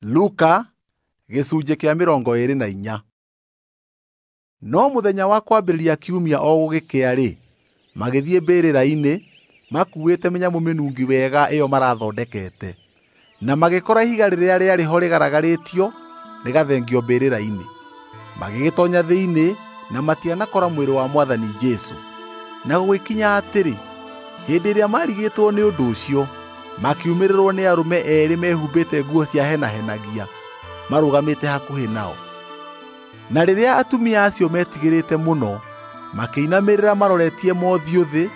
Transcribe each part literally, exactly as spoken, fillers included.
Luka gĩcunjĩ kĩa mĩrongo ĩĩrĩ na inya. No mũthenya wa kwambĩrĩria kiumia o gũgĩkĩa-rĩ, magĩthiĩ mbĩrĩra-inĩ makuuĩte mĩnyamũ mĩnungi wega ĩyo marathondekete, na magĩkora ihiga rĩrĩa rĩarĩ ho rĩgaragarĩtio rĩgathengio mbĩrĩra-inĩ. Magĩgĩtoonya thĩinĩ na matianakora mwĩrĩ wa Mwathani Jesũ. Na gũgĩkinya atĩrĩ, hĩndĩ ĩrĩa maarigĩtwo nĩ ũndũ ũcio, makiumĩrĩrwo nĩ arũme eerĩ mehumbĩte nguo ciahenahenagia marũgamĩte hakuhĩ nao. Na rĩrĩa atumia acio metigĩrĩte mũno, makĩinamĩrĩra maroretie mothiũ thĩ,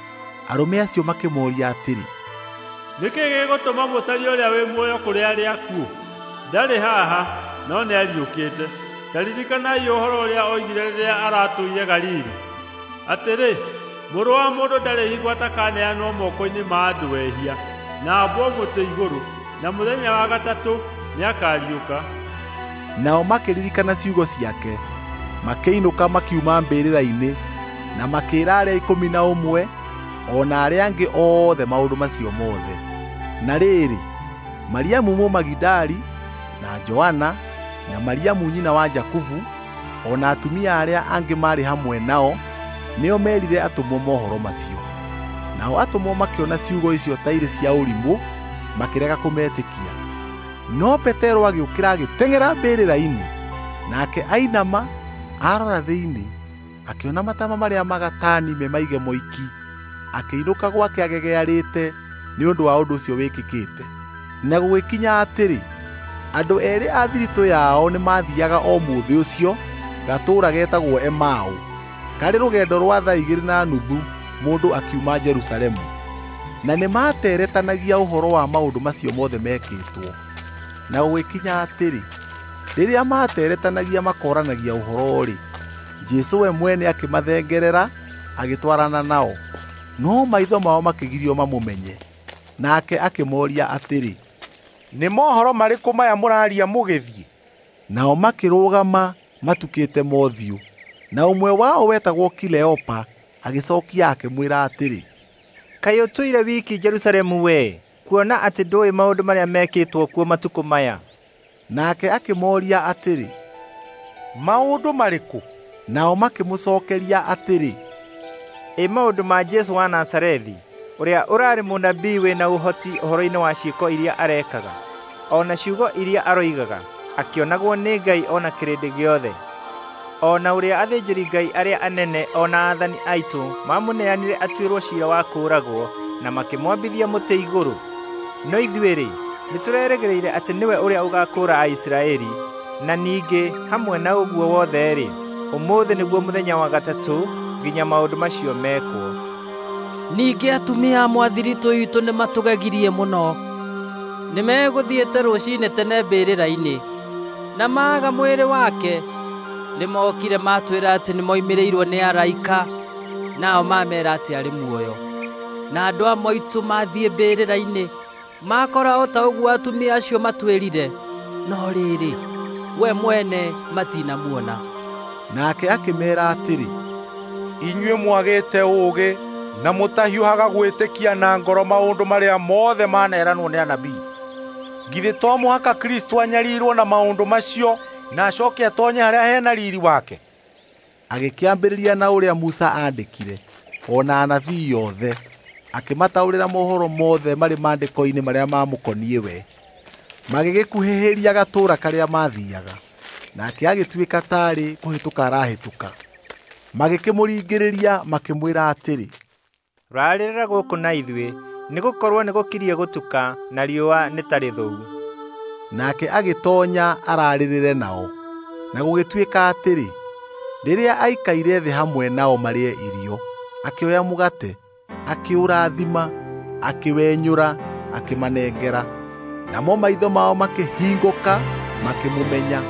arũme acio makĩmooria atĩrĩ, "Nĩ kĩĩ gĩgũtũma mũcarie ũrĩa wĩ muoyo kũrĩ arĩa akuũ? Ndarĩ haha, no nĩariũkĩte. Ta ririkanai ũhoro ũrĩa oigire rĩrĩa aratũire Galili, atĩrĩ, 'Mũrũ wa Mũndũ ndarĩ hingo atakaneanwo moko-inĩ ma andũ ehia, na ambwo mũtĩ igũrũ, na mũthenya wa gatatũ nĩakariũka.'" Nao makĩririkana ciugo ciake, makĩinũka makiuma mbĩrĩra-inĩ, na makĩĩra arĩa ikũmi na ũmwe o na arĩa angĩ othe maũndũ macio mothe. Na rĩrĩ, Mariamu Mũmagidali, na Joana, na Mariamu nyina wa Jakubu, o na atumia arĩa angĩ maarĩ hamwe nao, nĩo meerire atũmwo mohoro macio. Nao atũmwo makĩona ciugo icio ta irĩ cia ũrimũ, makĩrega kũmetĩkia. No Petero agĩũkĩra agĩteng'era mbĩrĩra-inĩ, nake ainama arora thĩinĩ, akĩona matama marĩa magatani me maige moiki, akĩinũka gwake agegearĩte nĩ ũndũ wa ũndũ ũcio wĩkĩkĩte. Na gũgĩkinya atĩrĩ, andũ eerĩ a thiritũ yao nĩmathiiaga o mũthĩ ũcio gatũũra getagwo Emau, karĩ rũgendo rwa thaa igĩrĩ na nuthu mũndũ akiuma Jerusalemu. Na nĩmateretanagia ũhoro wa maũndũ macio mothe mekĩtwo. Na gũgĩkinya atĩrĩ, rĩrĩa materetanagia makooranagia ũhoro-rĩ, Jesũ we mwene akĩmathengerera agĩtwarana nao, no maitho mao makĩgirio mamũmenye. Nake akĩmooria atĩrĩ, "Nĩ mohoro marĩkũ maya mũraaria mũgĩthiĩ?" Nao makĩrũgama matukĩte mothiũ. Na ũmwe wao wetagwo Kileopa agĩcookia akĩmwĩra atĩrĩ, "Kaĩ ũtũire wiki Jerusalemu wee, kuona atĩ ndũĩ maũndũ marĩa mekĩtwo kuo matukũ maya?" Nake akĩmooria atĩrĩ, "Maũndũ marĩkũ?" Nao makĩmũcookeria atĩrĩ, "Ĩ maũndũ ma Jesũ wa Nazarethi, ũrĩa ũrarĩ mũnabii wĩna ũhoti ũhoro-inĩ wa ciĩko iria arekaga, o na ciugo iria aroigaga, akĩonagwo nĩ Ngai o na kĩrĩndĩ gĩothe, o na ũrĩa athĩnjĩri-Ngai arĩa anene o na aathani aitũ mamũneanire atuĩrwo ciira wa kũũragwo na makĩmwambithia mũtĩ igũrũ. No ithuĩ-rĩ, nĩtũrerĩgĩrĩire atĩ nĩwe ũrĩa ũgaakũũra Aisiraeli, na ningĩ hamwe na ũguo wothe-rĩ, ũmũthĩ nĩguo mũthenya wa gatatũ nginya maũndũ macio mekwo." Ningĩ atumia amwe a thiritũ itũ nĩmatũgegirie mũno. Nĩmegũthiĩte rũciinĩ tene mbĩrĩra-inĩ, na maaga mwĩrĩ wake. Nĩmokire matwĩra atĩ nĩmoimĩrĩirwo nĩ araika, nao mameera atĩ arĩ muoyo. Na andũ amwe aitũ mathiĩ mbĩrĩra-inĩ, makora o ta ũguo atumia acio matwĩrire, no rĩrĩ, we mwene matinamuona. Nake akĩmeera atĩrĩ, "Inyuĩ mwagĩte ũũgĩ na mũtahiũhaga gwĩtĩkia na ngoro maũndũ marĩa mothe maneranwo nĩ anabii. Githĩ to mũhaka Kristũ anyarirwo na maũndũ macio na acoke atonye harĩa hena riiri wake?" Agĩkĩambĩrĩria na ũrĩa Musa aandĩkire, o na anabii othe, akĩmataũrĩra mohoro mothe marĩ maandĩko-inĩ marĩa mamũkoniĩ we. Magĩgĩkuhĩhĩria gatũũra karĩa maathiiaga, nake agĩtuĩka taarĩ kũhĩtũka arahĩtũka. Magĩkĩmũringĩrĩria makĩmwĩra atĩrĩ, "Raarĩrĩra gũkũ na ithuĩ, nĩgũkorwo nĩgũkirie gũtuka na riũa nĩ ta rĩthũu." Nake agĩtoonya ararĩrĩre nao. Na gũgĩtuĩka atĩrĩ, rĩrĩa aikaire thĩ hamwe nao marĩe irio, akĩoya mũgate, akĩũrathima, akĩwenyũra, akĩmanengera. Namo maitho mao makĩhingũka, makĩmũmenya.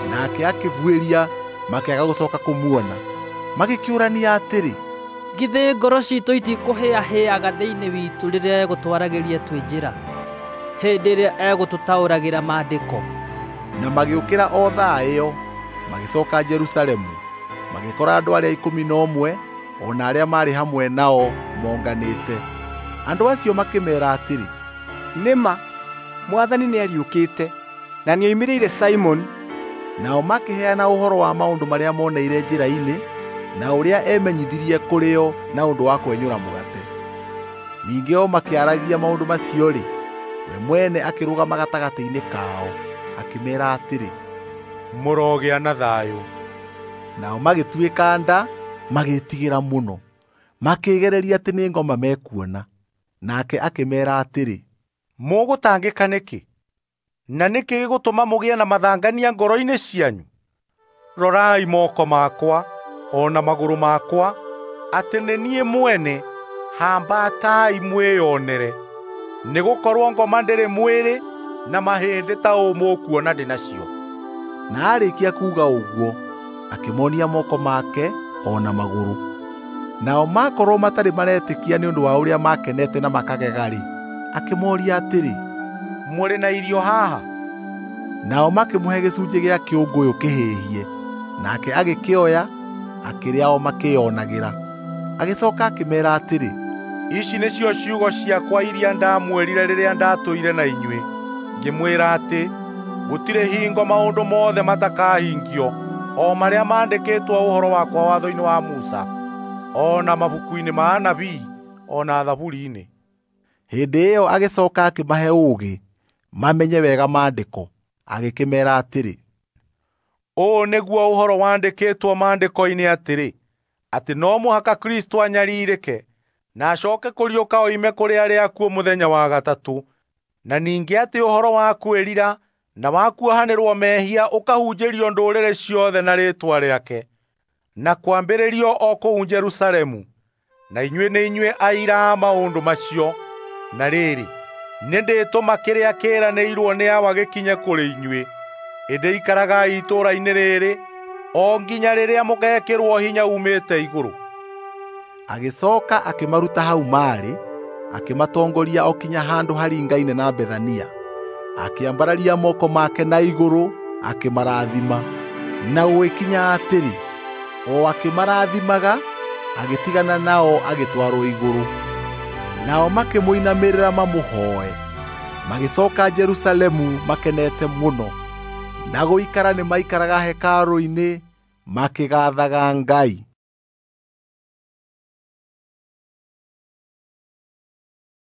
Nake akĩbuĩria, makĩaga gũcooka kũmuona. Magĩkĩũrania atĩrĩ, "Githĩ ngoro ciitũ itikũhĩahĩaga thĩinĩ witũ rĩrĩa egũtwaragĩria twĩ njĩra, hĩndĩ ĩrĩa egũtũtaũragĩra maandĩko?" Na magĩũkĩra o thaa ĩyo, magĩcooka Jerusalemu, magĩkora andũ arĩa ikũmi na ũmwe o na arĩa maarĩ hamwe nao monganĩte. Andũ acio makĩmeera atĩrĩ, "Nĩ ma, Mwathani nĩariũkĩte, Na nĩoimĩrĩire Simoni. Nao makĩheana ũhoro wa maũndũ marĩa moneire njĩra-inĩ na ũrĩa emenyithirie kũrĩ o na ũndũ wa kwenyũra mũgate. Ningĩ o makĩaragia maũndũ macio-rĩ, we mwene akĩrũgama gatagatĩ-inĩ kao, akĩmeera atĩrĩ, "Mũrogĩa na thayũ." Nao magĩtuĩka nda, magĩĩtigĩra mũno, makĩĩgereria atĩ nĩ ngoma mekuona. Nake akĩmeera atĩrĩ, "Mũgũtangĩka nĩkĩ? Na nĩkĩ gĩgũtũma mũgĩe na mathangania ngoro-inĩ cianyu? Rorai moko makwa o na magũrũ makwa, atĩ nĩ niĩ mwene. Hambatai mwĩyonere, nĩgũkorwo ngoma ndĩrĩ mwĩrĩ na mahĩndĩ ta ũũ mũkuona ndĩ nacio." Na aarĩkia kuuga ũguo, akĩmonia moko make o na magũrũ. Nao makorwo matarĩ maretĩkia nĩ ũndũ wa ũrĩa makenete na makagega-rĩ, akĩmoria atĩrĩ, "Mũrĩ na irio haha?" Nao makĩmũhe gĩcunjĩ gĩa kĩũngũyũ kĩhĩhie, nake agĩkĩoya, akĩrĩa o makĩĩonagĩra. Agĩcoka akĩmeera atĩrĩ, "Ici nĩcio ciugo ciakwa iria ndamwĩrire rĩrĩa ndatũire na inyuĩ, ngĩmwĩra atĩ gũtirĩ hingo maũndũ mothe matakahingio, o marĩa maandĩkĩtwo ũhoro wakwa watho-inĩ wa Musa, o na mabuku-inĩ ma anabii, o na thaburi-inĩ." Hĩndĩ ĩyo agĩcoka akĩmahe ũũgĩ mamenye wega maandĩko, agĩkĩmeera atĩrĩ, "Ũũ nĩguo ũhoro wandĩkĩtwo maandĩko-inĩ atĩrĩ, atĩ no mũhaka Kristo anyarirĩke na acoke kũriũka oime kũrĩ arĩa akuũ mũthenya wa gatatũ, na ningĩ atĩ ũhoro wa kwĩrira na wa kuohanĩrwo mehia ũkahunjĩrio ndũrĩrĩ ciothe na rĩĩtwa rĩake, na kwambĩrĩrio o kũu Jerusalemu. Na inyuĩ nĩ inyuĩ aira a maũndũ macio. Na rĩrĩ, nĩndĩtũma kĩrĩa kĩĩranĩirwo nĩ Awa gĩkinye kũrĩ inyuĩ. Ĩndĩ ikaragai itũũra-inĩ rĩrĩ o nginya rĩrĩa mũgekĩrwo hinya uumĩte igũrũ." Agĩcoka akĩmaruta hau maarĩ, akĩmatongoria o kinya handũ haringaine na Bethania. Akĩambararia moko make na igũrũ akĩmarathima. Na gũgĩkinya atĩrĩ, o akĩmarathimaga, agĩtigana nao agĩtwarwo igũrũ. Nao makĩmũinamĩrĩra mamũhooe. Magĩcoka Jerusalemu makenete mũno, na gũikara nĩmaikaraga hekarũ-inĩ makĩgaathaga Ngai.